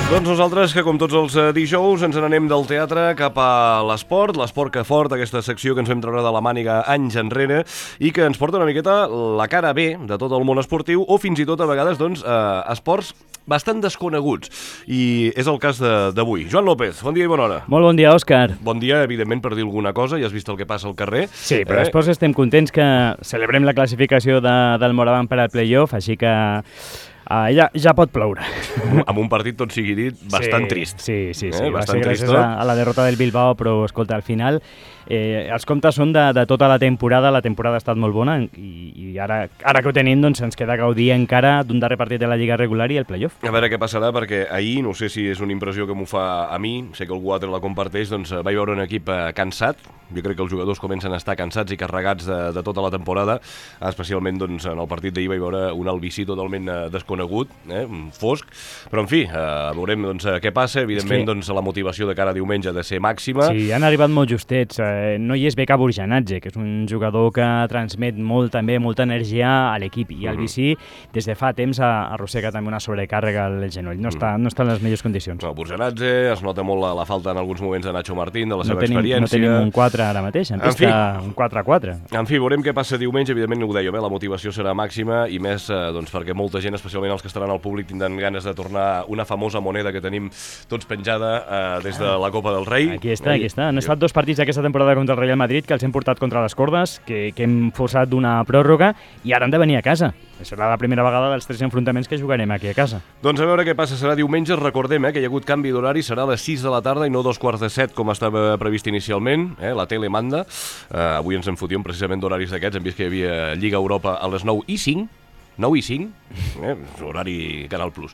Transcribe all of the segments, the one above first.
Doncs nosaltres, que com tots els dijous, ens n'anem del teatre cap a l'esport que fort, aquesta secció que ens vam treure de la màniga anys enrere i que ens porta una miqueta la cara B de tot el món esportiu o fins i tot a vegades doncs, esports bastant desconeguts. I és el cas d'avui. Joan López, bon dia i bona hora. Molt bon dia, Òscar. Bon dia, evidentment, per dir alguna cosa. Ja has vist el que passa al carrer. Sí, però després estem contents que celebrem la classificació del Moraván per al playoff, així que ja pot ploure. Amb un partit, tot sigui dit, bastant trist. Sí. Va Bastant ser gràcies tristot. a la derrota del Bilbao, però, escolta, al final els comptes són de tota la temporada ha estat molt bona i ara que ho tenim doncs ens queda gaudir encara d'un darrer partit de la Lliga regular i el playoff. A veure què passarà, perquè ahir, no sé si és una impressió que m'ho fa a mi, sé que algú altre la comparteix, doncs vaig veure un equip cansat. Jo crec que els jugadors comencen a estar cansats i carregats de tota la temporada, especialment doncs, en el partit d'ahir vaig veure un Albicí totalment desconegut, fosc, però en fi, veurem doncs, què passa. Evidentment doncs, la motivació de cara a diumenge ha de ser màxima. Sí, han arribat molt justets. No hi és Beka Burjanadze, que és un jugador que transmet molta energia a l'equip, i Albicí des de fa temps arrossega també una sobrecàrrega al genoll. No està en les millors condicions. No, Burjanadze, es nota molt la falta en alguns moments de Nacho Martín, de la seva experiència. No tenim un 4 ara mateix, en pista un 4-4. En fi, veurem què passa diumenge. Evidentment, ho dèiem, la motivació serà màxima i més doncs, perquè molta gent, especialment els que estaran al públic, tindran ganes de tornar una famosa moneda que tenim tots penjada des de la Copa del Rei. Aquí està. Han estat 2 partits d'aquesta temporada contra el Real Madrid que els hem portat contra les cordes, que hem forçat d'una pròrroga i ara han de venir a casa. Serà la primera vegada dels 3 enfrontaments que jugarem aquí a casa. Doncs a veure què passa. Serà diumenge. Recordem que hi ha hagut canvi d'horari. Serà a les 6 de la tarda i no 2:45 com estava previst inicialment. La tele manda. Avui ens en fotíem precisament d'horaris d'aquests. Hem vist que hi havia Lliga Europa a les 9:05. 9:05, horari Canal Plus.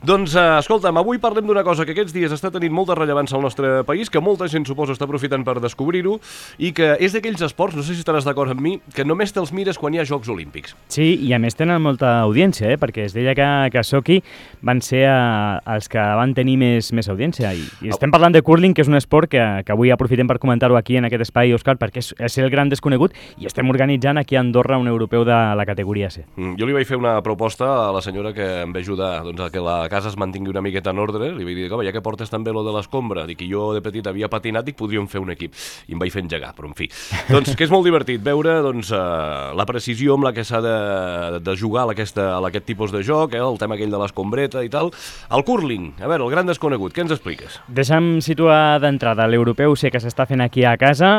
Doncs, escolta'm, avui parlem d'una cosa que aquests dies està tenint molta rellevància al nostre país, que molta gent, suposo, està aprofitant per descobrir-ho, i que és d'aquells esports, no sé si estaràs d'acord amb mi, que només te'ls mires quan hi ha Jocs Olímpics. Sí, i a més tenen molta audiència, perquè es deia que a Sochi van ser els que van tenir més audiència. I estem parlant de curling, que és un esport que avui aprofitem per comentar-ho aquí en aquest espai, Òscar, perquè és el gran desconegut, i estem organitzant aquí a Andorra un europeu de la categoria C. Jo li vaig fer una proposta a la senyora que em va ajudar doncs, a que la casa es mantingui una miqueta en ordre. Li vaig dir, ja que portes també lo de l'escombra, dic que jo de petit havia patinat i podríem fer un equip. I em vaig fer engegar, però en fi. Doncs que és molt divertit veure doncs, la precisió amb la que s'ha de jugar a aquest tipus de joc, el tema aquell de l'escombreta i tal. El curling, a veure, el gran desconegut, què ens expliques? Deixa'm situar d'entrada l'europeu C que s'està fent aquí a casa.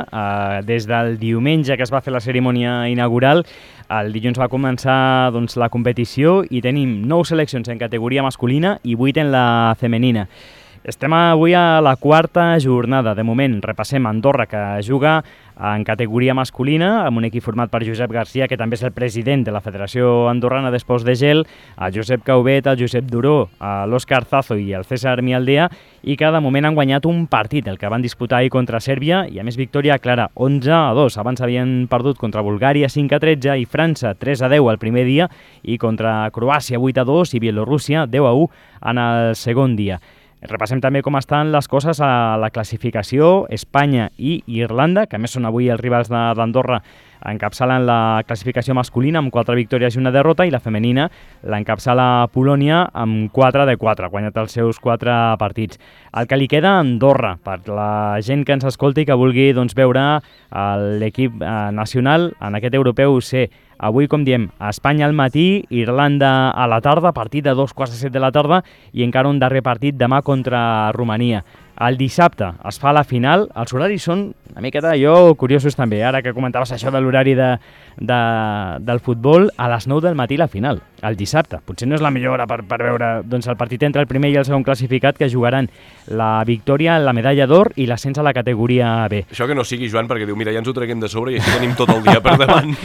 Des del diumenge que es va fer la cerimònia inaugural, el dilluns va començar doncs, la competició i tenim 9 seleccions en categoria masculina i 8 en la femenina. Estem avui a la 4a jornada. De moment repassem Andorra, que juga en categoria masculina, amb un equip format per Josep Garcia, que també és el president de la Federació Andorrana d'Esports de Gel, el Josep Caubet, el Josep Duró, l'Òscar Zazo i el César Mialdea, i que de moment han guanyat un partit, el que van disputar ahir contra Sèrbia, i a més victòria clara, 11-2. Abans havien perdut contra Bulgària 5-13 i França 3-10 el primer dia, i contra Croàcia 8-2 i Bielorússia 10-1 en el segon dia. Repassem també com estan les coses a la classificació. Espanya i Irlanda, que a més són avui els rivals d'Andorra, encapçalen la classificació masculina amb 4 victòries i una derrota, i la femenina l'encapçala Polònia amb 4 de 4, ha guanyat els seus 4 partits. El que li queda a Andorra, per la gent que ens escolti i que vulgui veure l'equip nacional en aquest europeu C. Avui, com diem, a Espanya al matí, Irlanda a la tarda, partit de 2:15 de la tarda, i encara un darrer partit demà contra Romania. El dissabte es fa la final. Els horaris són una miqueta curiosos també. Ara que comentaves això de l'horari del futbol, a les 9 del matí la final, el dissabte. Potser no és la millor hora per veure el partit entre el primer i el segon classificat, que jugaran la victòria, la medalla d'or i l'ascens a la categoria B. Això que no sigui, Joan, perquè diu, mira, ja ens ho treguem de sobre i així tenim tot el dia per davant.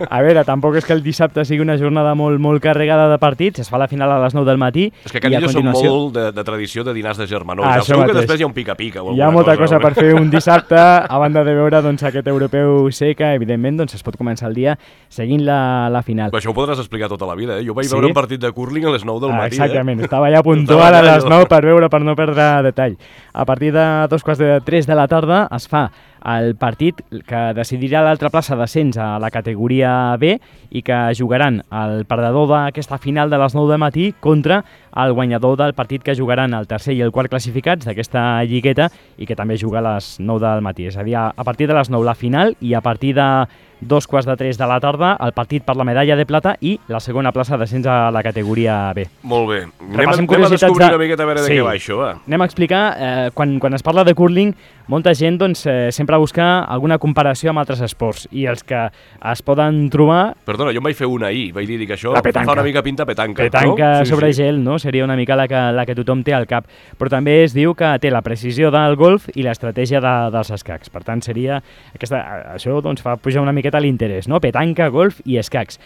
A veure, tampoc és que el dissabte sigui una jornada molt carregada de partits. Es fa la final a les 9 del matí. És que Canillo són molt de tradició de dinars de germanor. Segur que després hi ha un pica-pica. Hi ha molta cosa per fer un dissabte, a banda de veure aquest europeu C, que evidentment es pot començar el dia seguint la final. Però això ho podràs explicar tota la vida, Jo vaig veure un partit de curling a les 9 del matí. Exactament, estava allà puntual a les 9 per veure, per no perdre detall. A partir de 2:45 de la tarda es fa el partit que decidirà l'altra plaça d'ascens a la categoria B i que jugaran el perdedor d'aquesta final de les 9 del matí contra el guanyador del partit que jugaran el tercer i el quart classificats d'aquesta lligueta i que també juga a les 9 del matí. És a dir, a partir de les 9 la final i a partir de 2:45 de la tarda el partit per la medalla de plata i la segona plaça d'ascens a la categoria B. Molt bé. Anem a descobrir una miqueta a veure de què va això, va. Anem a explicar, quan es parla de curling, molta gent doncs, sempre busca alguna comparació amb altres esports i els que es poden trobar... Perdona, jo em vaig fer una ahir, vaig dir que això fa una mica pinta petanca. Petanca no? sobre gel, no? Seria una mica la que tothom té al cap. Però també es diu que té la precisió del golf i l'estratègia dels escacs. Per tant, seria això doncs, fa pujar una miqueta l'interès, no? Petanca, golf i escacs.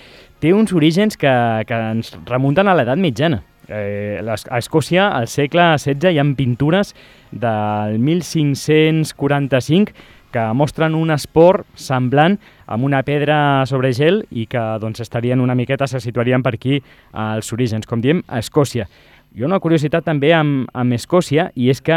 Té uns orígens que ens remunten a l'edat mitjana. A Escòcia, al segle XVI, hi ha pintures del 1545 que mostren un esport semblant amb una pedra sobre gel i que doncs, estarien una miqueta, se situarien per aquí als orígens, com diem, a Escòcia. Hi ha una curiositat també amb Escòcia i és que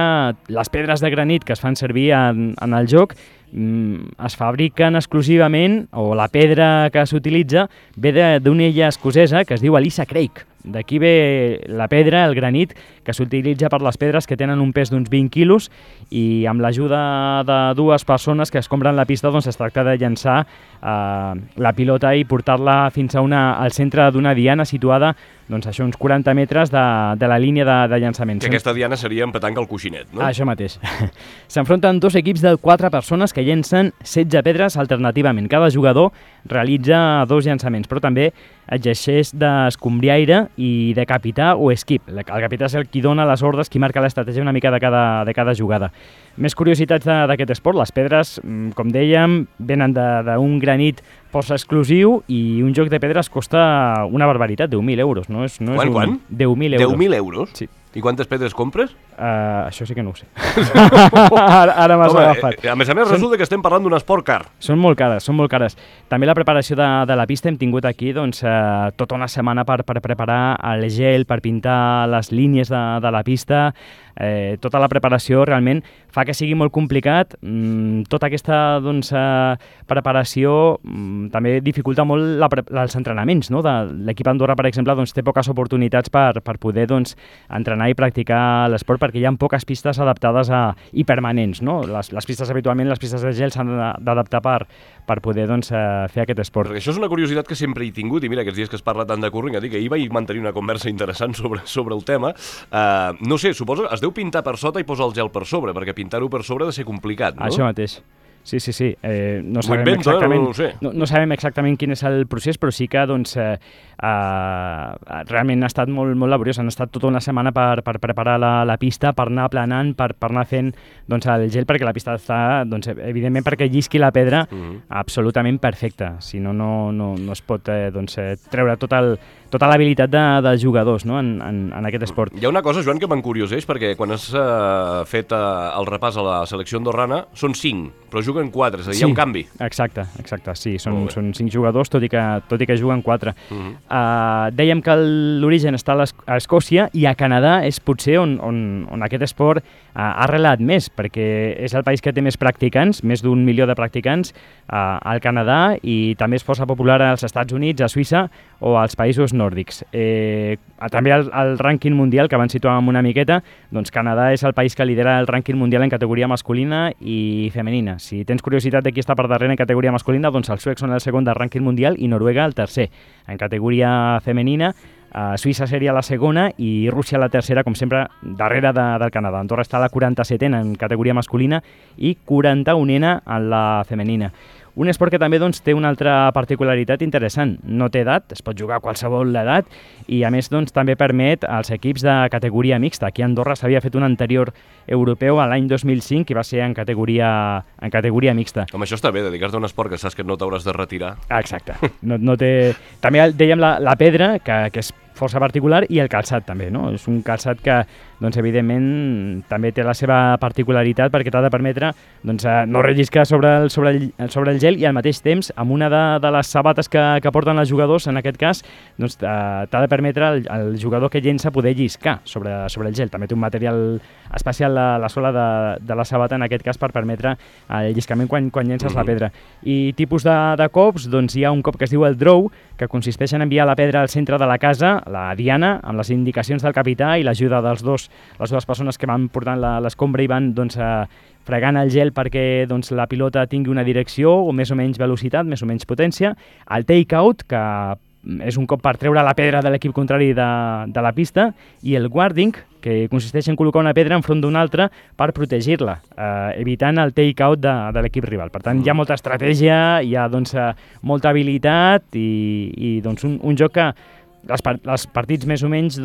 les pedres de granit que es fan servir en el joc es fabriquen exclusivament, o la pedra que s'utilitza ve d'una illa escocesa que es diu Alyssa Craig. D'aquí ve la pedra, el granit, que s'utilitza per les pedres que tenen un pes d'uns 20 quilos i amb l'ajuda de dues persones que escombren la pista doncs es tracta de llançar la pilota i portar-la fins al centre d'una diana situada doncs, això, uns 40 metres de la línia de llançament. Que aquesta diana seria en petanca al coixinet, no? Això mateix. S'enfronten dos equips de 4 persones que llencen 16 pedres alternativament. Cada jugador realitza 2 llançaments, però també exerceix d'escombriaire i de capità o esquip. El capità és el qui dona les ordres, qui marca l'estratègia una mica de cada jugada. Més curiositats d'aquest esport. Les pedres, com dèiem, venen d'un granit força exclusiu i un joc de pedres costa una barbaritat, 10.000 euros. No és Quan? 10.000 euros. 10.000 euros? Sí. I quantes pedres compres? Això sí que no ho sé. Ara m'has agafat. A més, resulta que estem parlant d'un esport car. Són molt cares. També la preparació de la pista hem tingut aquí tota una setmana per preparar el gel, per pintar les línies de la pista. Tota la preparació realment fa que sigui molt complicat. Tota aquesta preparació també dificulta molt els entrenaments. No? L'equip Andorra, per exemple, té poques oportunitats per poder entrenar i practicar l'esport perquè hi ha poques pistes adaptades i permanents. No? Les pistes habitualment, les pistes de gel s'han d'adaptar per poder fer aquest esport. Perquè això és una curiositat que sempre he tingut i mira, aquests dies que es parla tant de curling, que ahir vaig mantenir una conversa interessant sobre el tema. No sé, suposo es deu pintar per sota i posar el gel per sobre, perquè pintar-ho per sobre ha de ser complicat, no? Això mateix. Sí. No sabem exactament quin és el procés, però sí que realment ha estat molt laboriós. Han estat tota una setmana per preparar la pista, per anar aplanant, per anar fent el gel, perquè la pista està, evidentment, perquè llisqui la pedra absolutament perfecta. Si no, no es pot treure tota l'habilitat dels jugadors, no? en aquest esport. Hi ha una cosa, Joan, que m'encurioseix, perquè quan has fet el repàs a la selecció andorrana són 5, però juguen 4, és a dir, hi ha un canvi. Exacte, sí, són 5 jugadors, tot i que juguen 4. Dèiem que l'origen està a Escòcia i a Canadà és potser on aquest esport ha arrelat més, perquè és el país que té més practicants, més d'1 milió de practicants al Canadà, i també és força popular als Estats Units, a Suïssa o als països nòrdics. També el rànquing mundial, que abans situàvem una miqueta, doncs Canadà és el país que lidera el rànquing mundial en categoria masculina i femenina. Si tens curiositat de qui està per darrere en categoria masculina, doncs els suecs són el segon del rànquing mundial i Noruega el tercer. En categoria femenina, Suïssa seria la segona i Rússia la tercera, com sempre, darrere del Canadà. Andorra està a la 47a en categoria masculina i 41a en la femenina. Un esport que també té una altra particularitat interessant. No té edat, es pot jugar a qualsevol edat i a més també permet als equips de categoria mixta. Aquí a Andorra s'havia fet un anterior europeu a l'any 2005 i va ser en categoria mixta. Home, això està bé, dedicar-te a un esport que saps que no t'hauràs de retirar. Exacte. No té... També dèiem la pedra, que és força particular, i el calçat també, no? És un calçat que, evidentment, també té la seva particularitat perquè t'ha de permetre no relliscar sobre el gel i al mateix temps, amb una de les sabates que porten els jugadors, en aquest cas, t'ha de permetre al jugador que llença poder lliscar sobre el gel. També té un material especial la sola de la sabata, en aquest cas, per permetre el lliscament quan llences la pedra. I tipus de cops, doncs hi ha un cop que es diu el draw, que consisteix en enviar la pedra al centre de la casa, la diana, amb les indicacions del capità i l'ajuda les dues persones que van portant l'escombra i van fregant el gel perquè la pilota tingui una direcció o més o menys velocitat, més o menys potència. El take-out, que és un cop per treure la pedra de l'equip contrari de la pista, i el guarding, que consisteix en col·locar una pedra enfront d'una altra per protegir-la, evitant el take-out de l'equip rival. Per tant, hi ha molta estratègia, hi ha molta habilitat i un joc que els partits més o menys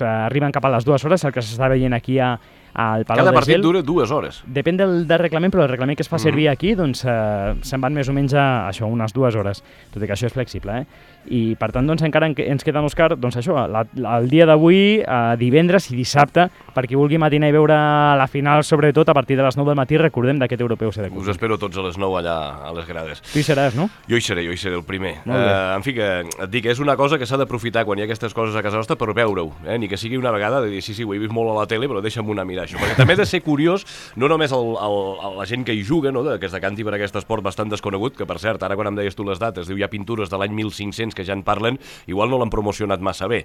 arriben cap a les 2 hores, el que s'està veient aquí al Palau de Gel. Cada partit dura 2 hores. Depèn del reglament, però el reglament que es fa servir aquí se'n van més o menys a unes 2 hores, tot i que això és flexible. I per tant encara ens queda, Òscar, el dia d'avui, divendres i dissabte, per qui vulgui matinar i veure la final, sobretot a partir de les 9 del matí, recordem d'aquest europeu CD. Us espero tots a les 9 allà a les grades. Tu hi seràs, no? Jo hi seré el primer. En fi, que et dic, és una cosa que s'ha d'aprofitar quan hi ha aquestes coses a casa nostra per veure-ho, ni que sigui una vegada de dir, sí, ho he vist molt a la tele, però deixa'm una mirar això, perquè també ha de ser curiós, no només la gent que hi juga, que es decanti per aquest esport bastant desconegut, que per cert, ara quan em deies tu les dates, diu hi ha pintures de l'any 1500 que ja en parlen, igual no l'han promocionat massa bé,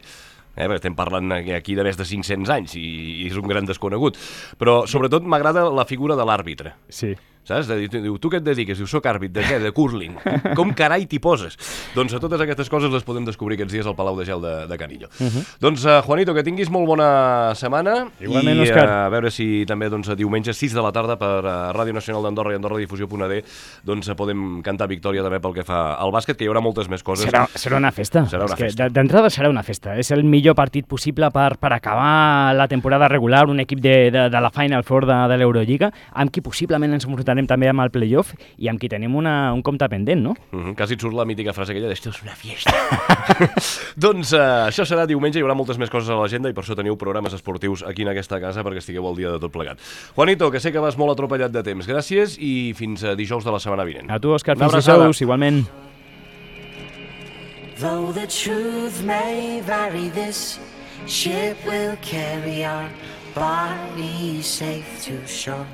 perquè estem parlant aquí de més de 500 anys i és un gran desconegut, però sobretot m'agrada la figura de l'àrbitre. Sí. Saps? Diu, tu què et dediques? Diu, soc àrbit. De què? De curling. Com carai t'hi poses? Doncs a totes aquestes coses les podem descobrir aquests dies al Palau de Gel de Canillo. Doncs, Juanito, que tinguis molt bona setmana. Igualment, i Òscar. A veure si també diumenge 6 de la tarda per Ràdio Nacional d'Andorra i AndorraDifusió.d podem cantar victòria també pel que fa al bàsquet, que hi haurà moltes més coses. Serà una festa. Serà una festa. D'entrada serà una festa. És el millor partit possible per acabar la temporada regular, un equip de la Final Four de l'Eurolliga, amb qui possiblement ens enfrontarem també amb el playoff i amb qui tenim un compte pendent, no? Quasi et surt la mítica frase aquella d'esto és una fiesta. Doncs això serà diumenge, hi haurà moltes més coses a l'agenda i per això teniu programes esportius aquí en aquesta casa perquè estigueu al dia de tot plegat. Juanito, que sé que vas molt atropellat de temps, gràcies i fins dijous de la setmana vinent. A tu, Òscar, fins dijous, igualment. Though the truth may vary, this ship will carry our bodies safe to shore.